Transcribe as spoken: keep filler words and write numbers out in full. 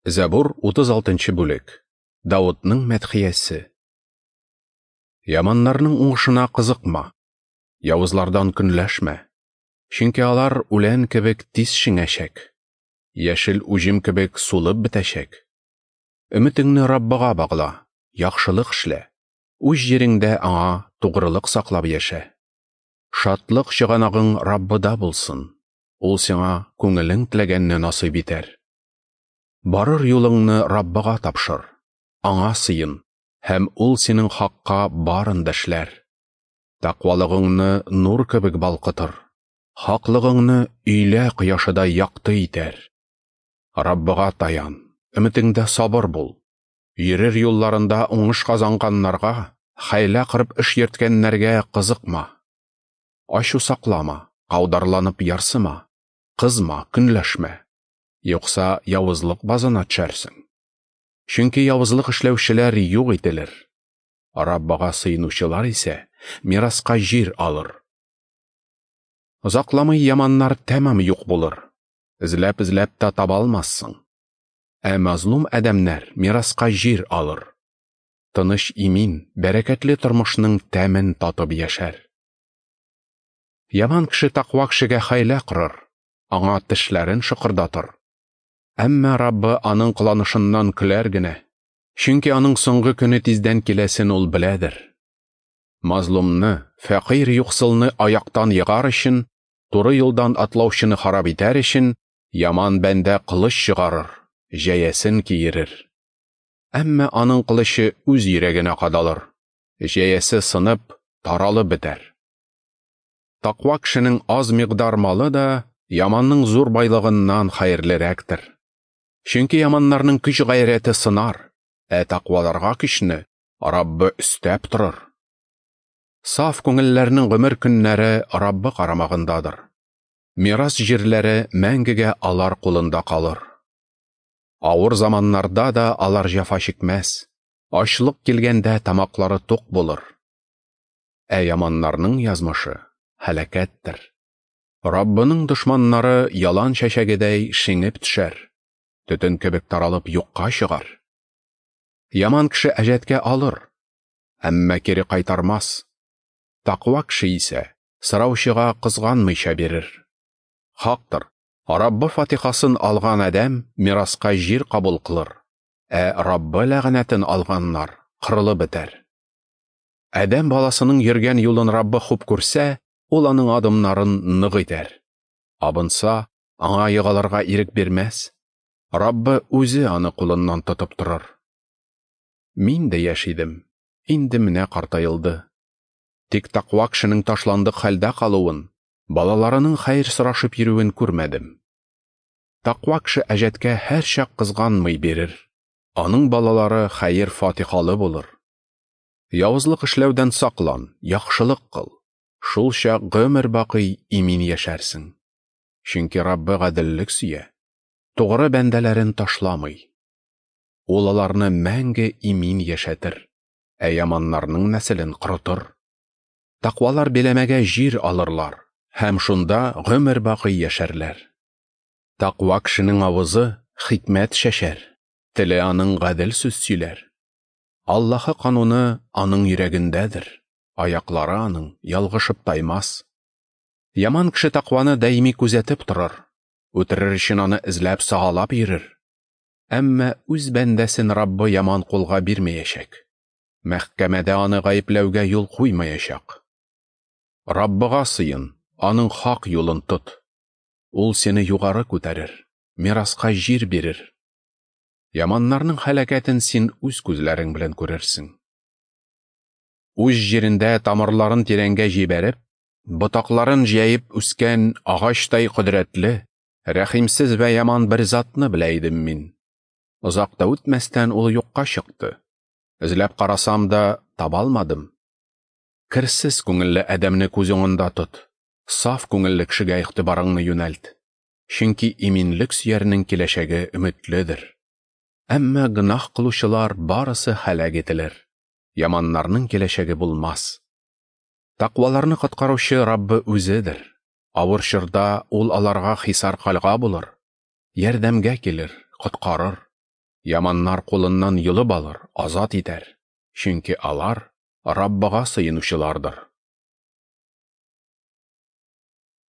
Зәбур утыз алтынчы бүлек. Давыдның мәдхиясе. Яманнарның уңышына кызыкма, явызлардан көнләшмә, чөнки алар үлән кебек тиз шиңәчәк, яшел уҗым кебек сулып бетәчәк. Өметеңне Раббыга багла, яхшылык эшлә, үз җиреңдә аңа тугрылык саклап яшә. Шатлык чыганагың Раббыда булсын, ул сиңа күңелең теләгәнне насыйп итәр. Барыр юлыңны Раббыга тапшыр, аңа сыен, һәм ул синең хакка барын да эшләр. Тәкъвалыгыңны нур кебек балкытыр, хаклыгыңны өйлә кояшыдай якты итәр. Раббыга таян, өметеңдә сабыр бул. Йөрер юлларында уңыш казанганнарга, хәйлә кырып эш йөрткәннәргә кызыкма. Ачу саклама, каударланып ярсыма, кызма, көнләшмә. Юкса явызлык базына төшәрсең. Чөнки явызлык эшләүчеләр юк ителер. Раббыга сыенучылар исә мираска җир алыр. Озакламый яманнар тәмам юк булыр. Эзләп-эзләп тә таба алмассың. Ә мазлум адәмнәр мираска җир алыр. Тыныч, имин, бәрәкәтле тормышның тәмен татып яшәр. Яман кеше тәкъва кешегә хәйлә корыр, аңа тешләрен шыкырдатыр. Әмма Раббы аның кыланышыннан көләр генә, чөнки аның соңгы көне тиздән киләсен ул беләдер. Мазлумны, фәкыйрь юксылны аяктан егар өчен, туры юлдан атлаучыны харап итәр өчен, яман бәндә кылыч чыгарыр, җәясен киерер. Әмма аның кылычы үз йөрәгенә кадалыр, җәясе сынып, таралып бетәр. Тәкъва кешенең аз микъдар малы да яманның зур байлыгыннан хәерлерәктер. Чөнки яманнарның көч гайрәте сынар, ә тәкъваларга көчне Раббы өстәп торыр. Саф күңелләрнең гомер көннәре Раббы карамагындадыр. Мирас җирләре мәңгегә алар кулында калыр. Авыр заманнарда да алар җәфа чикмәс, ачлык килгәндә тамаклары тук булыр. Ә яманнарның язмышы һәлакәттер. Раббының дошманнары ялан чәчәгедәй шиңеп төшәр, төтен кебек таралып юкка чыгар. Яман кеше әҗәткә алыр, әмма кире кайтармас. Тәкъва кеше исә сораучыга кызганмыйча бирер. Хактыр, Раббы фатихасын алган адәм мираска җир кабул кылыр, ә Раббы ләгънәтен алганнар кырылып бетәр. Адәм баласының йөргән юлын Раббы хуп күрсә, ул аның адымнарын нык итәр. Абынса, аңа егылырга ирек бирмәс. Раббы үзе аны кулыннан тотып торыр. Мин дә яшь идем, инде менә картаелды. Тик тәкъва кешенең ташландык хәлдә калуын, балаларының хәер сорашып йөрүен күрмәдем. Тәкъва кеше әҗәткә һәрчак кызганмый бирер. Аның балалары хәер фатихалы булыр. Явызлык эшләүдән саклан, яхшылык кыл. Шул чак гомер бакый имин яшәрсең. Чөнки Раббы гаделлек сөя, тугры бәндәләрен ташламый. Ул аларны мәңге имин яшәтер, ә яманнарның нәселен корытыр. Тәкъвалар биләмәгә җир алырлар һәм шунда гомер бакый яшәрләр. Тәкъва кешенең авызы хикмәт чәчәр, теле аның гадел сүз сөйләр. Аллаһы кануны аның йөрәгендәдер, аяклары аның ялгышып таймас. Яман кеше тәкъваны даими күзәтеп торыр, үтерер өчен аны эзләп сагалап йөрер. Әмма үз бәндәсен Раббы яман кулга бирмәячәк. Мәхкәмәдә аны гаепләүгә юл куймаячак. Раббыга сыен, аның хак юлын тот. Ул сине югары күтәрер, мираска җир бирер. Яманнарның һәлакәтен син үз күзләрең белән күрерсең. Үз җирендә тамырларын тирәнгә җибәреп, ботакларын җәеп үскән агачтай кодрәтле, рәхимсез вә яман бер затны белә идем мин. Озак та үтмәстән ул юкка чыкты. Эзләп карасам да таба алмадым. Керсез күңелле адәмне күз уңында тот. Саф күңелле кешегә игътибарыңны юнәлт. Чөнки иминлек сөярнең киләчәге өметледер. Әмма гөнаһ кылучылар барысы һәлак ителер. Яманнарның киләчәге булмас. Тәкъваларны коткаручы Раббы үзедер. Авыр чорда ул аларга хисар калга булыр. Ярдәмгә килер, коткарыр. Яманнар кулыннан йолып алыр, азат итәр, чөнки алар Раббыга сыенучылардыр.